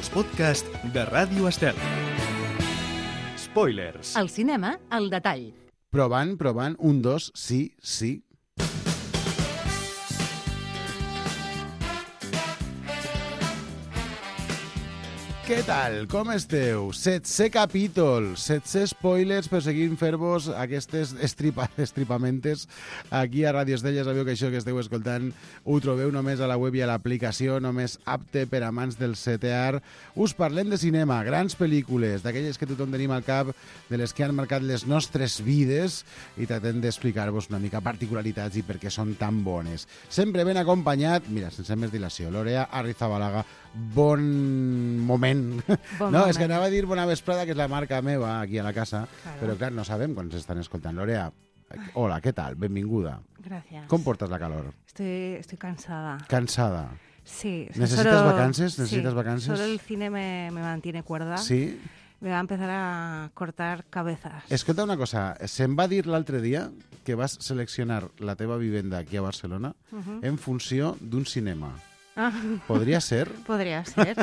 els podcasts de Ràdio Estel. Spoilers. El cinema, al detall. Provant, 1, 2, sí. Què tal? Com esteu? 7è capítol, 7è spoilers per seguir fer-vos aquestes estripamentes aquí a Ràdio Estel. Ja sabeu que això que esteu escoltant ho trobeu només a la web i a l'aplicació, només apte per amants del 7è art. Us parlem de cinema, grans pel·lícules, d'aquelles que tothom tenim al cap, de les que han marcat les nostres vides, i tractem d'explicar-vos una mica particularitats i per què són tan bones. Sempre ben acompanyat, mira, sense més dilació, Lorea Arrizabalaga. Bon moment. És que anava a dir bona vesprada, que és la marca meva aquí a la casa, claro. Però clar, no sabem quan s'estan escoltant. Lorea, hola, què tal? Benvinguda. Gracias. Com portes la calor? Estoy cansada. ¿Cansada? Sí. ¿Necesitas vacances? ¿Necesitas sí, vacances? Solo el cine me mantiene cuerda. Sí. Me va a empezar a cortar cabezas. Escolta una cosa, se'm va dir l'altre dia que vas seleccionar la teva vivenda aquí a Barcelona en funció d'un cinema. Podria ser? Podria ser.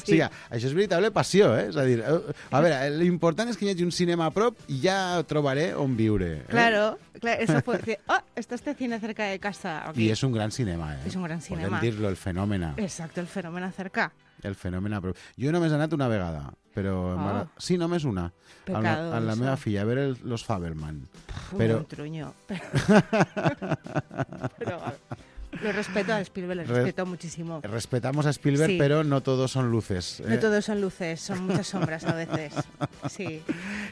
Sí. O sigui, això és veritable passió, eh? És a dir, a veure, l'important és que hi hagi un cinema a prop i ja trobaré on viure. Claro, eso puede decir, está este cine cerca de casa. Okay. I és un gran cinema, eh? És un gran cinema. Podem dir-lo, el fenòmeno. Exacto, el fenòmeno cerca. El fenòmeno a prop. Jo només he anat una vegada, però... Sí, només una. Pecado. A la meva filla, a veure los Fabelman. Un truño. Pero lo respeto a Spielberg, lo respeto muchísimo. Respetamos a Spielberg, sí. Pero no todos son luces. No todos son luces, son muchas sombras a veces. Sí.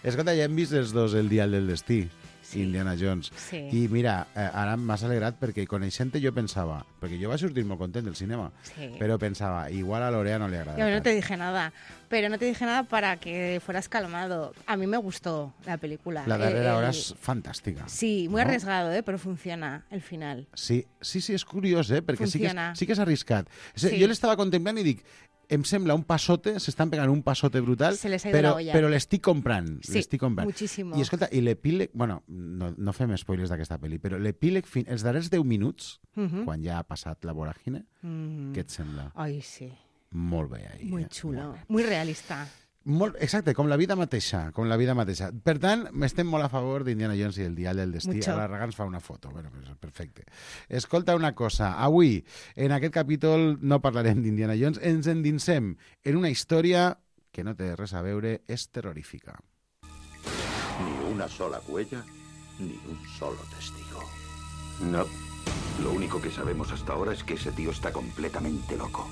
Escolta, ja hem vist els dos El dial del destí, sí. Indiana Jones. Sí. I mira, ara m'has alegrat perquè coneixent-te jo pensava, perquè jo vaig sortir molt content del cinema, sí. Però pensava, igual a Lorea no le agrada. Yo no te dije nada, pero no te dije nada para que fueras calmado. A mí me gustó la película. La darrera hora és fantàstica. Sí, muy arriesgado, pero funciona el final. Sí, és curiós, perquè sí que és arriscat. Sí. Jo l'estava contemplant i dic, em sembla un passote, s'estan pegant un passote brutal, se les ha ido la olla. Però l'estic comprant. Sí, muchísimo. I escolta, i l'epíleg, bueno, no fem spoilers d'aquesta pel·li, però l'epíleg, els darrers 10 minuts, quan ja ha passat la voràgine, què et sembla? Ai, sí. Molt bé, ahí. Muy xulo, muy realista. Exacte, com la vida mateixa, Per tant, estem molt a favor d'Indiana Jones i el dial del destí. Mucho. Ara Raga ens fa una foto. Bueno, perfecte. Escolta una cosa. Avui, en aquest capítol, no parlarem d'Indiana Jones. Ens endinsem en una història que no té res a veure, és terrorífica. Ni una sola huella, ni un solo testigo. No. Lo único que sabemos hasta ahora es que ese tío está completamente loco.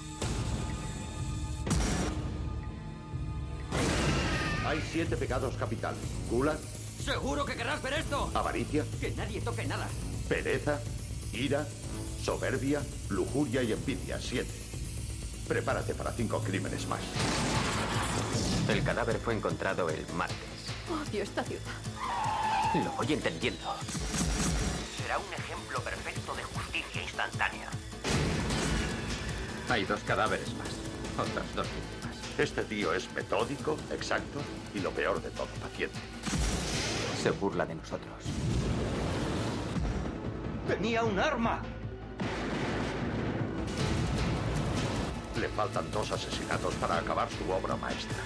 Hay 7 pecados capitales. Gula. ¿Seguro que querrás ver esto? Avaricia. Que nadie toque nada. Pereza. Ira. Soberbia. Lujuria y envidia. 7. Prepárate para 5 crímenes más. El cadáver fue encontrado el martes. Odio esta ciudad. Lo voy entendiendo. Será un ejemplo perfecto de justicia instantánea. Hay 2 cadáveres más. Otras 2 víctimas. Este tío es metódico, exacto y lo peor de todo, paciente. Se burla de nosotros. ¡Tenía un arma! Le faltan 2 asesinatos para acabar su obra maestra.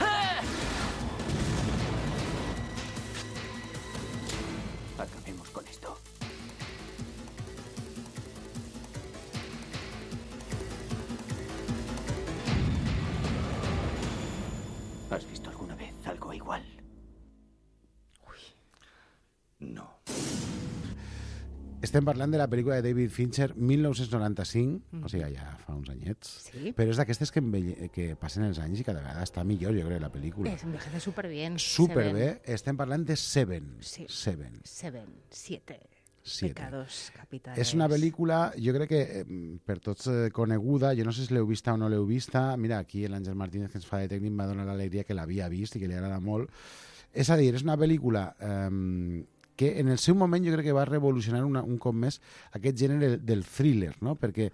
Acabemos con esto. ¿Has visto alguna vez algo igual? No. Estem parlant de la pel·lícula de David Fincher, 1995, o sigui, ja fa uns anyets, sí. Però és d'aquestes que passen els anys i cada vegada està millor, jo crec, la pel·lícula. Envejece superbien. Superbé. Estem parlant de Seven. Sí. Seven. 7 Siete. pecados capitales. És una pel·lícula, jo crec que per tots coneguda, jo no sé si l'heu vista o no l'heu vista, mira, aquí l'Àngel Martínez, que ens fa de tècnic, m'ha donat l'alegria que l'havia vist i que li agrada molt. És a dir, és una pel·lícula que en el seu moment jo crec que va revolucionar un cop més aquest gènere del thriller, no? Perquè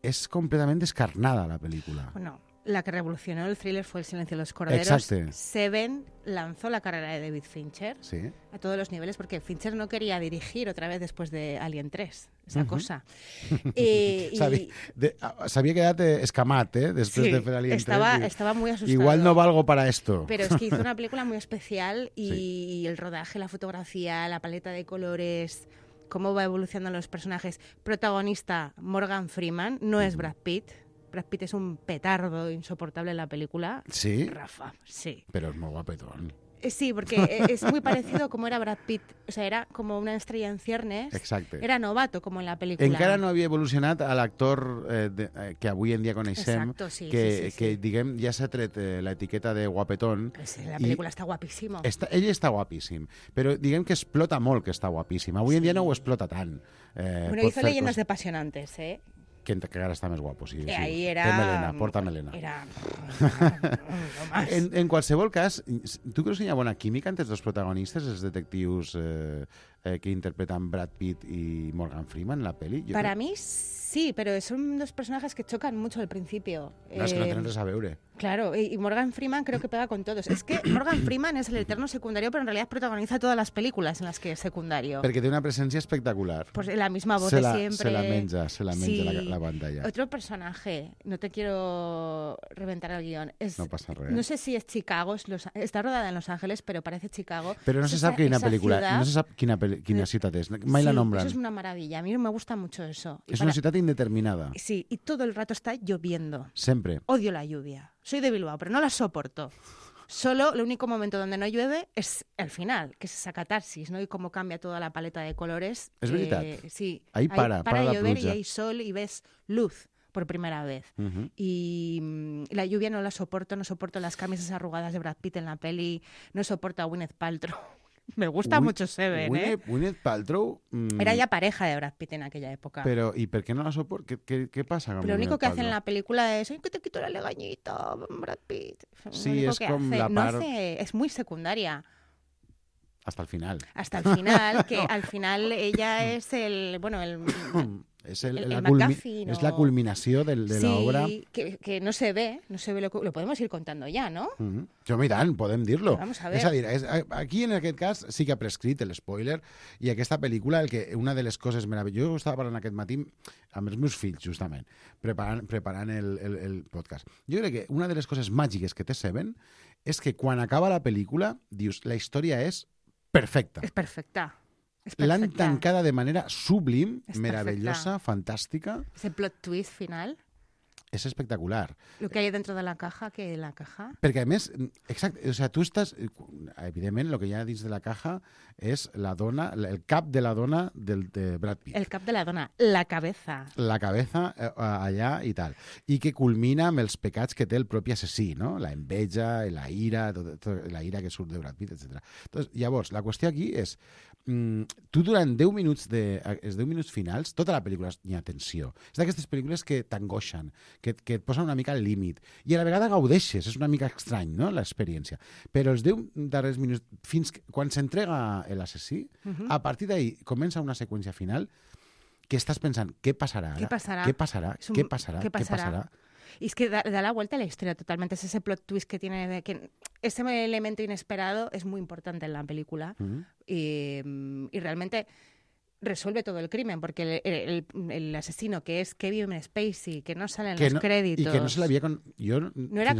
és completament descarnada la pel·lícula. Bueno, la que revolucionó el thriller fue El silencio de los corderos. Exacte. Seven lanzó la carrera de David Fincher Sí. a todos los niveles porque Fincher no quería dirigir otra vez después de Alien 3. esa cosa. S'havia quedat escamat, després de fer Alien 3. Estaba muy asustado. Igual no valgo para esto. Pero es que hizo una película muy especial y el rodaje, la fotografía, la paleta de colores, cómo va evolucionando los personajes. Protagonista, Morgan Freeman, no es Brad Pitt. Brad Pitt es un petardo insoportable en la película. Sí. Rafa, sí. Pero es muy guapetón. Sí, porque es muy parecido a como era Brad Pitt. O sea, era como una estrella en ciernes. Exacte. Era novato, como en la película. Encara no havia evolucionat a l'actor que avui en dia coneixem, Exacto, sí, que diguem, ja s'ha tret l'etiqueta de guapetón. Pues la película está guapísimo. Ell està guapíssim, però diguem que explota molt que està guapíssim. Avui en dia no ho explota tant. Bueno, hizo Leyendas de Apasionantes, ¿eh? Que encara està més guapo, sí. Ahí era... Té melena, porta melena. Era... En qualsevol cas, tu creus que hi ha bona química entre els dos protagonistes, els detectius que interpreten Brad Pitt y Morgan Freeman en la peli? Para mí sí, pero son dos personajes que chocan mucho al principio. No, es que no tenen res a veure. Claro, y Morgan Freeman creo que pega con todos. Es que Morgan Freeman es el eterno secundario, pero en realidad protagoniza todas las películas en las que es secundario. Perquè té una presència espectacular. Pues la misma voz de siempre. Se la menja Sí. la pantalla. Otro personaje, no te quiero reventar el guión. No pasa res. No sé si es Chicago, está rodada en Los Ángeles, pero parece Chicago. Però no se sap quina pel·lícula, no se sap quina ciutat és, mai la nombran. Eso es una maravilla, a mí me gusta mucho eso. És una ciutat indeterminada. Sí, y todo el rato está lloviendo. Sempre. Odio la lluvia. Soy de Bilbao, pero no la soporto. Solo el único momento donde no llueve es el final, que es esa catarsis, ¿no? Y cómo cambia toda la paleta de colores. Es verdad. Sí. Ahí para la llover pluja. y hay sol y ves luz por primera vez. Y la lluvia no la soporto, no soporto las camisas arrugadas de Brad Pitt en la peli, no soporto a Gwyneth Paltrow. Me gusta mucho Seven, Gwyneth Paltrow... Era ya pareja de Brad Pitt en aquella época. Pero, ¿y por qué no la soporta? ¿Qué pasa con Pero lo único que hace en Paltrow? la película es que te quito la legañita, Brad Pitt. Sí, es como la par... es muy secundaria. Hasta el final. Hasta el final, que al final ella es el... Bueno, Es McGuffin, la culminació de l'obra. Sí, que no se ve, lo podemos ir contando ya, ¿no? Jo, i tant, podem dir-lo. Vamos a ver. És a dir, aquí en aquest cas sí que ha prescrit l'espoiler i aquesta pel·lícula, una de les coses meravelloses, jo estava parlant aquest matí amb els meus fills, justament, preparant el podcast. Jo crec que una de les coses màgiques que té Seven és que quan acaba la pel·lícula, dius, la història és perfecta. És perfecta. L'han tancada de manera sublim, meravellosa, fantàstica. Ese plot twist final. És espectacular. Lo que hay dentro de la caja, que la caja... Perquè, a més, exacte, o sea, tu estàs... Evidentment, el que hi ha dins de la caja és la dona, el cap de la dona de Brad Pitt. El cap de la dona, la cabeza. La cabeza allà i tal. I que culmina amb els pecats que té el propi assassí, no? La enveja, la ira, la ira que surt de Brad Pitt, etc. Llavors, la qüestió aquí és tu durant 10 minuts els 10 minuts finals, tota la pel·lícula hi ha tensió. És d'aquestes pel·lícules que t'angoixen, que et posen una mica al límit. I a la vegada gaudeixes, és una mica estrany, no?, l'experiència. Però els 10 darrers minuts, fins quan s'entrega l'assassí, a partir d'ahí comença una seqüència final que estás pensando, ¿qué pasará ahora? ¿Qué pasará? ¿Qué pasará? ¿Qué pasará? ¿Qué pasará? Y es que da la vuelta a la historia totalmente. Es ese plot twist que tiene, que ese elemento inesperado es muy importante en la película. Y realmente resuelve todo el crimen, porque el asesino, que es Kevin Spacey, que no sale en los créditos... Y que no se le había...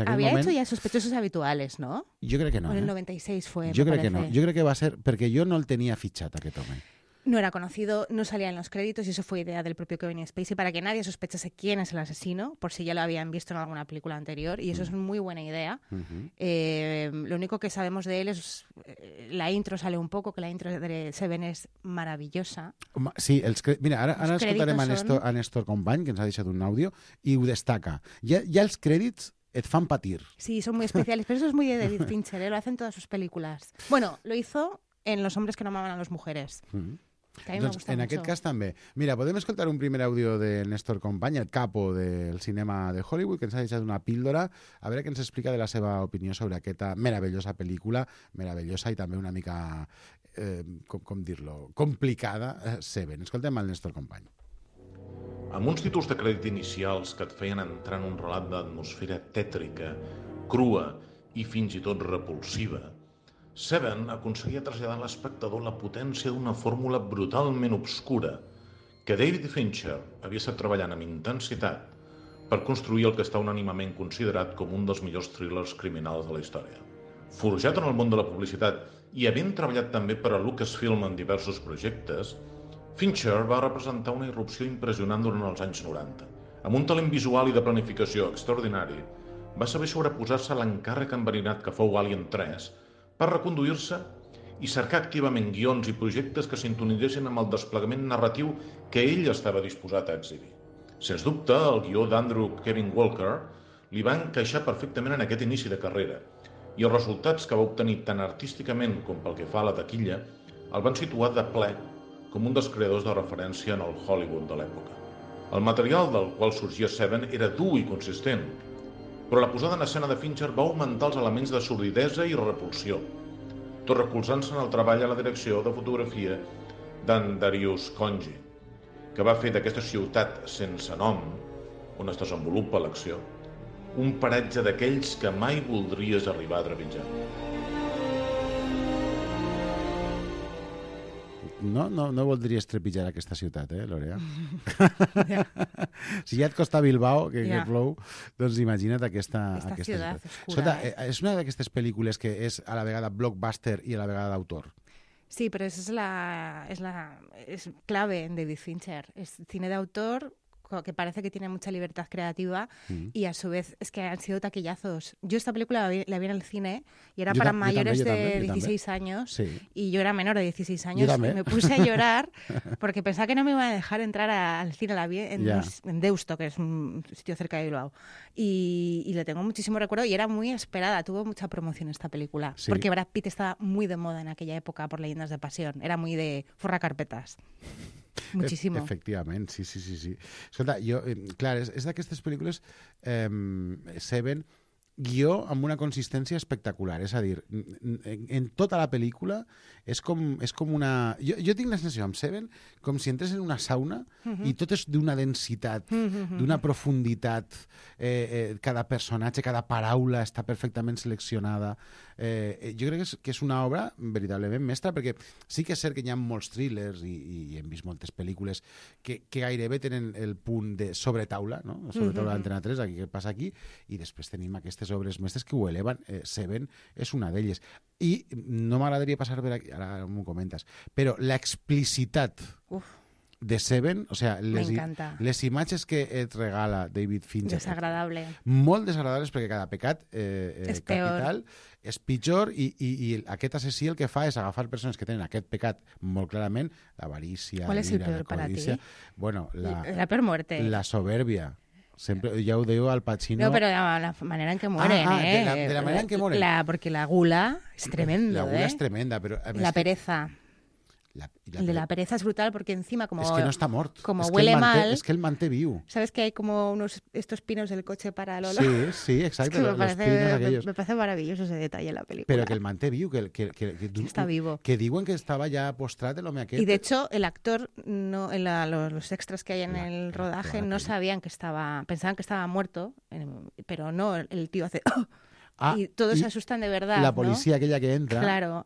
había hecho ya Sospechosos Habituales, ¿no? Yo creo que no. O en el 96 fue, Yo creo que no. Yo creo que va a ser... Porque yo no el tenía fichata que tome. No era conocido, no salía en los créditos y eso fue idea del propio Kevin Spacey para que nadie sospechase quién es el asesino, por si ya lo habían visto en alguna película anterior, y eso es muy buena idea. Lo único que sabemos de él es la intro sale un poco, que la intro de Seven és maravillosa. Sí, mira, ara escoltarem a Néstor Company, que ens ha deixat un àudio, i ho destaca. Ja els crèdits et fan patir. Sí, son muy especiales, pero eso es muy de David Fincher, lo hace en todas sus películas. Bueno, lo hizo en Los hombres que no amaban a las mujeres. Que a mí me gusta en mucho. Aquest cas també. Mira, podem escoltar un primer àudio de Néstor Company, el capo del cinema de Hollywood, que ens ha deixat una píldora, a veure què ens explica de la seva opinió sobre aquesta meravellosa pel·lícula, meravellosa i també una mica, com dir-lo, complicada, Seven. Escoltem el Néstor Company. Amb uns títols de crèdit inicials que et feien entrar en un relat d'atmosfera tètrica, crua i fins i tot repulsiva, Seven aconseguia traslladar a l'espectador la potència d'una fórmula brutalment obscura que David Fincher havia estat treballant amb intensitat per construir el que està unànimement considerat com un dels millors thrillers criminals de la història. Forjat en el món de la publicitat i havent treballat també per a Lucasfilm en diversos projectes, Fincher va representar una irrupció impressionant durant els anys 90. Amb un talent visual i de planificació extraordinari, va saber sobreposar-se a l'encàrrec enverinat que fou Alien 3 per reconduir-se i cercar activament guions i projectes que sintonitzessin amb el desplegament narratiu que ell estava disposat a exhibir. Sens dubte, el guió d'Andrew Kevin Walker li va encaixar perfectament en aquest inici de carrera i els resultats que va obtenir tant artísticament com pel que fa a la taquilla el van situar de ple com un dels creadors de referència en el Hollywood de l'època. El material del qual sorgia Seven era dur i consistent, però la posada en escena de Fincher va augmentar els elements de sordidesa i repulsió, tot recolzant-se en el treball a la direcció de fotografia d'en Darius Khondji, que va fer d'aquesta ciutat sense nom, on es desenvolupa l'acció, un paratge d'aquells que mai voldries arribar a trepitjar. No voldries trepitjar aquesta ciutat, Lorea? Si ja et costa Bilbao, que plou, doncs imagina't aquesta ciutat. Escolta, és una d'aquestes pel·lícules que és a la vegada blockbuster i a la vegada d'autor. Sí, pero esa es clave en David Fincher. Es cine de autor que parece que tiene mucha libertad creativa y a su vez es que han sido taquillazos. Yo esta película la vi en el cine y era para mayores de 16 años y yo era menor de 16 años y me puse a llorar porque pensaba que no me iba a dejar entrar al cine. La vi en Deusto, que es un sitio cerca de Bilbao, y le tengo muchísimo recuerdo y era muy esperada, tuvo mucha promoción esta película porque Brad Pitt estaba muy de moda en aquella época por Leyendas de Pasión, era muy de forrar carpetas. Muchísimo. Efectivament, sí. Escolta, jo, clar, és d'aquestes pel·lícules Seven, guió amb una consistència espectacular, és a dir, en tota la pel·lícula és com una... Jo tinc la sensació amb Seven com si entres en una sauna i tot és d'una densitat, d'una profunditat, cada personatge, cada paraula està perfectament seleccionada. Jo crec que és una obra veritablement mestra, perquè sí que és cert que hi ha molts thrillers i hem vist moltes pel·lícules que gairebé tenen el punt de sobretaula, no? Sobretaula d'Antena 3, aquí què passa aquí, i després tenim aquestes obres mestres que ho eleven. Seven és una d'elles. I no m'agradaria passar per aquí, ara m'ho comentes, però l'explicitat de Seven, o sea, les imatges que et regala David Fincher, desagradable, molt desagradables, perquè cada pecat és capital és pitjor i aquest assassí el que fa és agafar persones que tenen aquest pecat molt clarament, l'avarícia, ¿cuál es el peor para ti? Bueno, la peor muerte, la soberbia. Sempre, ja ho diu Al Pacino. No, pero la manera en que mueren, de la manera en que mueren. Porque la gula es tremendo, La gula es tremenda, pero... La pereza. El de la pereza es brutal porque encima como... Es que no está mort. Como huele mal... Es que el manté viu. ¿Sabes que hay como estos pinos del coche para el olor? Sí, exacto. Me parece maravilloso ese detalle en la película. Pero que el manté viu, que está vivo. Que diuen que estaba ya postrado el home aquest. Y de hecho, el actor, no, los extras que hay en el rodaje no sabían que estaba... Pensaban que estaba muerto, pero no, el tío hace... y todos se asustan de verdad. La policía, ¿no? Aquella que entra. Claro,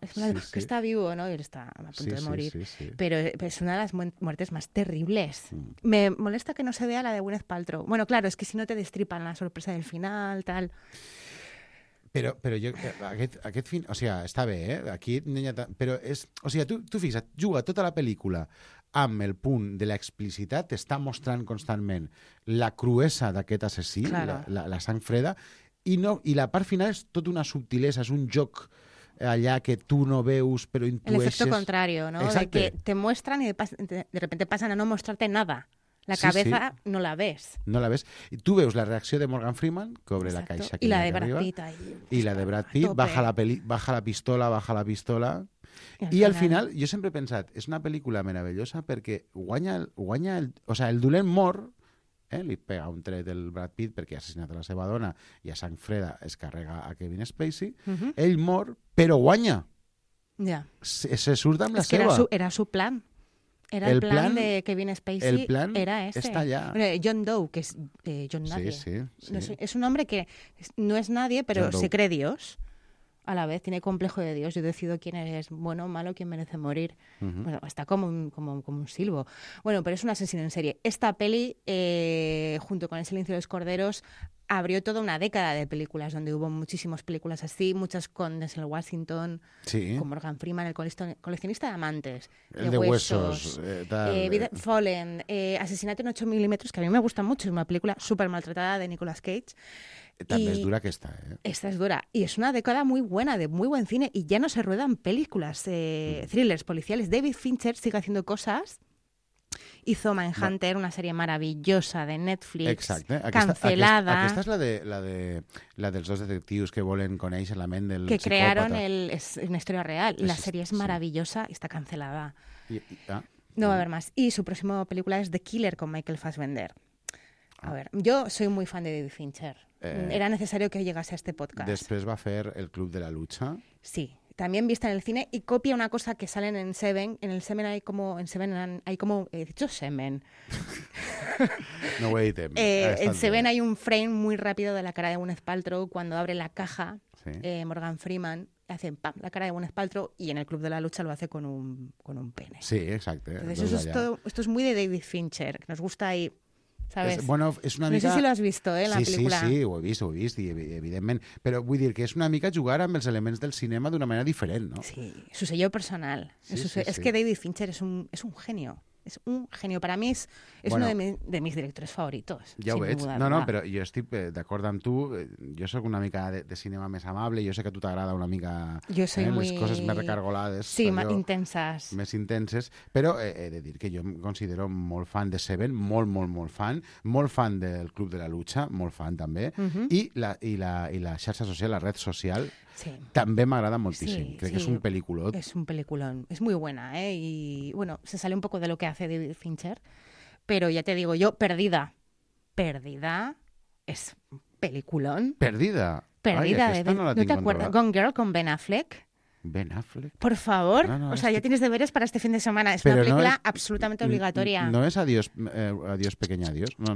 que está vivo, ¿no? Y él está a punto de morir. Sí. Pero es una de las muertes más terribles. Me molesta que no se vea la de Gwyneth Paltrow. Bueno, claro, es que si no te destripan la sorpresa del final, tal... Però jo, aquest fin... O sigui, està bé, Aquí... Però és... O sigui, tu fixa't, juga tota la pel·lícula amb el punt de l'explicitat, t'està mostrant constantment la cruesa d'aquest assassí, claro. la sang freda, i la part final és tota una subtilesa, és un joc allá que tú no veus, pero intueixes... El efecto contrario, ¿no? Exacte. De que te muestran y de repente pasan a no mostrarte nada. La cabeza no la ves. No la ves. Y tú veus la reacció de Morgan Freeman, que obre la caixa. Y la de Brad Pitt ahí. Y la de Brad Pitt, baja la pistola. I al final, jo sempre he pensat, és una pel·lícula meravellosa perquè guanya el dolent mor, li pega un tret del Brad Pitt perquè ha assassinat a la seva dona i a sang freda es carrega a Kevin Spacey, ell mor, però guanya. Ja. Se surt amb la seva. Era su plan. Era el plan de Kevin Spacey. El plan era ese. Está allá. John Doe, que es John Nadie. Sí. Es un hombre que no es nadie, pero se cree Dios. a la vez, tiene complejo de Dios. Yo decido quién es bueno o malo, quién merece morir. Bueno, está como un silbo. Bueno, pero es un asesino en serie. Esta peli, junto con El silencio de los corderos, abrió toda una década de películas donde hubo muchísimas películas así, muchas con Denzel Washington, con Morgan Freeman, el coleccionista de amantes, el de huesos, Fallen, Asesinato en 8 milímetros, que a mí me gusta mucho, es una película súper maltratada de Nicolas Cage. També és dura aquesta, Esta es dura. Y es una década muy buena, de muy buen cine, y ya no se ruedan películas, thrillers policiales. David Fincher sigue haciendo cosas. Hizo Mindhunter, una serie maravillosa de Netflix, exacte. cancelada. Aquesta és la dels dos detectius que volen conèixer la ment del que psicòpata. crearon es una historia real. La serie es maravillosa y está cancelada. No va a haber más. Y su próxima película es The Killer con Michael Fassbender. A ver, yo soy muy fan de David Fincher. Era necesario que llegase a este podcast. Després va fer El Club de la Lucha. Sí, también vista en el cine y copia una cosa que salen en Seven. En el Seven hay como... he dicho Semen. No ho he dit. En Seven hay un frame muy rápido de la cara de Gwyneth Paltrow cuando abre la caja. Sí. Morgan Freeman hace ¡pam! La cara de Gwyneth Paltrow y en El Club de la Lucha lo hace con un pene. Sí, exacte. Entonces esto es muy de David Fincher, que nos gusta ahí... ¿Sabes? Bueno, és una mica... No sé si lo has visto, la película. Sí, ho he vist, i evidentment. Però vull dir que és una mica jugar amb els elements del cinema d'una manera diferent, no? Sí, su sello personal. Es que David Fincher es un genio. Es un genio. Para mí es uno de mis directores favoritos. Ja ho veig. No, però jo estic d'acord amb tu. Jo sóc una mica de cinema més amable. Jo sé que a tu t'agrada una mica les coses més recargolades. Sí, intensas. Més intenses. Però he de dir que jo em considero molt fan de Seven, molt fan. Molt fan del Club de la Lucha, molt fan també. I la xarxa social, la red social, també m'agrada moltíssim. Crec que és un peliculón. Es un peliculón. Es muy buena, Y bueno, se sale un poco de lo que hace David Fincher, pero ya te digo yo, Perdida es peliculón. Perdida. Ay, ¿no te acuerdas? Gone Girl con Ben Affleck. Ben Affleck. Por favor. O sea, ya tienes deberes para este fin de semana. Es una película absolutamente obligatoria. ¿No es Adiós, pequeña adiós? No,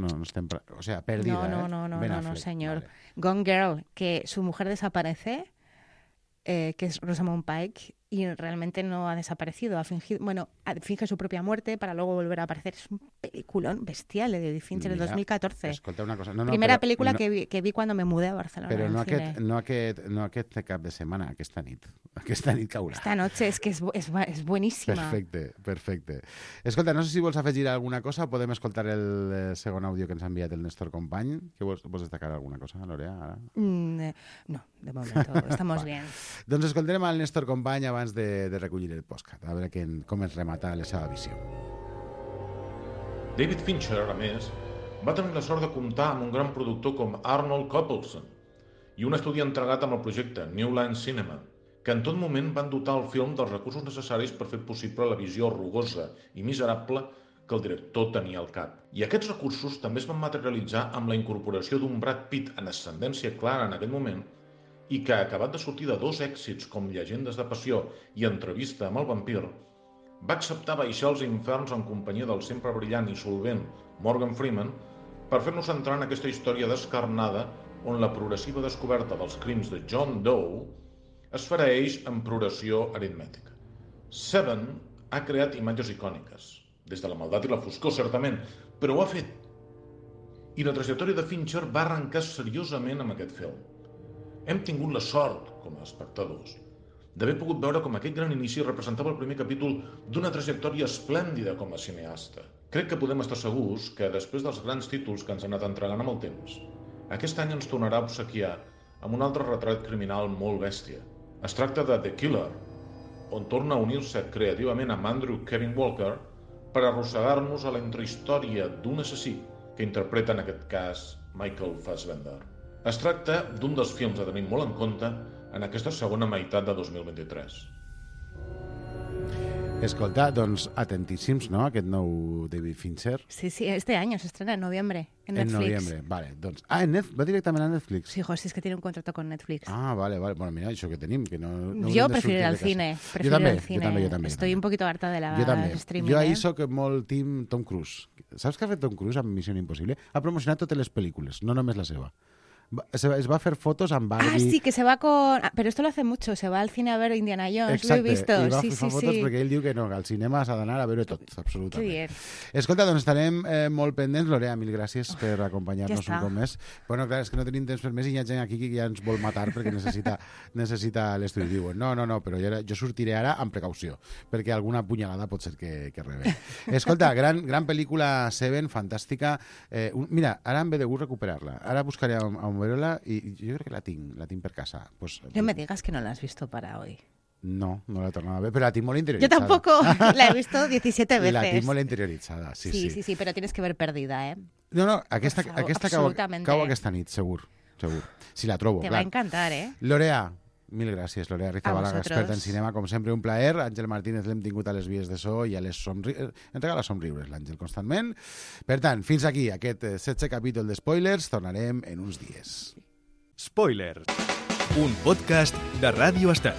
o sea, Perdida. No, señor. Vale. Gone Girl, que su mujer desaparece, que es Rosamund Pike, y realmente no ha desaparecido, finge su propia muerte para luego volver a aparecer. Es un peliculón bestial de David Fincher del 2014. Escolta una cosa. Primera película que vi cuando me mudé a Barcelona. Però no aquest cap de setmana, aquesta nit caurà. Esta noche, es que es buenísima. Perfecte. Escolta, no sé si vols afegir alguna cosa o podem escoltar el segon àudio que ens ha enviat el Néstor Company. Que vols destacar alguna cosa, Lorea? Ara? No, de momento estamos bien. Doncs escoltarem al Néstor Company abans de recollir el podcast, a veure com es remata la seva visió. David Fincher, a més, va tenir la sort de comptar amb un gran productor com Arnold Coppelson i un estudi entregat amb el projecte New Line Cinema, que en tot moment van dotar el film dels recursos necessaris per fer possible la visió rugosa i miserable que el director tenia al cap. I aquests recursos també es van materialitzar amb la incorporació d'un Brad Pitt en ascendència clara en aquell moment i que, acabat de sortir de 2 èxits com Llegendes de passió i Entrevista amb el vampir, va acceptar baixar als inferns en companyia del sempre brillant i solvent Morgan Freeman per fer-nos entrar en aquesta història descarnada on la progressiva descoberta dels crims de John Doe es farà eix en progressió aritmètica. Seven ha creat imatges icòniques, des de la maldat i la foscor, certament, però ho ha fet. I la trajectòria de Fincher va arrencar seriosament amb aquest film. Hem tingut la sort, com a espectadors, d'haver pogut veure com aquest gran inici representava el primer capítol d'una trajectòria esplèndida com a cineasta. Crec que podem estar segurs que, després dels grans títols que ens han anat entregant amb el temps, aquest any ens tornarà a obsequiar amb un altre retrat criminal molt bèstia. Es tracta de The Killer, on torna a unir-se creativament amb Andrew Kevin Walker per arrossegar-nos a la intrahistòria d'un assassí que interpreta en aquest cas Michael Fassbender. Es tracta d'un dels films a tenir molt en compte en aquesta segona meitat de 2023. Escolta, doncs atentíssims, ¿no?, aquest nou David Fincher. Sí, este año se estrena en noviembre en Netflix. En noviembre, vale. Doncs, va directament a Netflix? Sí, hijo, sí, es que tiene un contrato con Netflix. Ah, vale. Bueno, mira, això que tenim, que no yo prefiero ir al cine. Jo també. Estoy un poquito harta de la streaming. Jo ahí soc molt team Tom Cruise. Saps què ha fet Tom Cruise amb Missió Impossible? Ha promocionat totes les pel·lícules, no només la seva. Es va a hacer fotos amb Barbie. Ah, sí, que se va con... Pero esto lo hace mucho, se va al cine a ver Indiana Jones, Exacte, lo he visto. i va Sí, fer sí, fotos sí. perquè ell diu que no, que al cinema s'ha d'anar a veure tot, absolutament. Que bien. Escolta, doncs estarem molt pendents. Lorea, mil gràcies per acompanyar-nos ja un cop més. Bueno, clar, és que no tenim temps per més i hi ha gent aquí que ja ens vol matar perquè necessita l'estudi. Diuen, no, però jo sortiré ara amb precaució, perquè alguna punyalada pot ser que rebe. Escolta, gran pel·lícula Seven, fantàstica. Mira, ara em ve de gust recuperar-la. Ara buscaré on veure-la i jo crec que la tinc per casa. Pues, No me digas que no la has visto para hoy. No la he tornado a ver, pero la tinc molt Yo interioritzada. tampoco, la he visto 17 veces. La tinc molt interioritzada, sí. Pero tienes que ver Perdida, ¿eh? No, aquesta absolutamente. cau aquesta nit, segur. Si la trobo, Te clar. va a encantar, ¿eh? Lorea, mil gràcies, Lorea Rizabalaga, vosotros. experta en cinema, com sempre, un plaer. Àngel Martínez l'hem tingut a les vies de so i a les ens regala somriures, l'Àngel, constantment. Per tant, fins aquí, aquest 16è capítol de Spoilers. Tornarem en uns dies. Spoilers, un podcast de Ràdio Estel.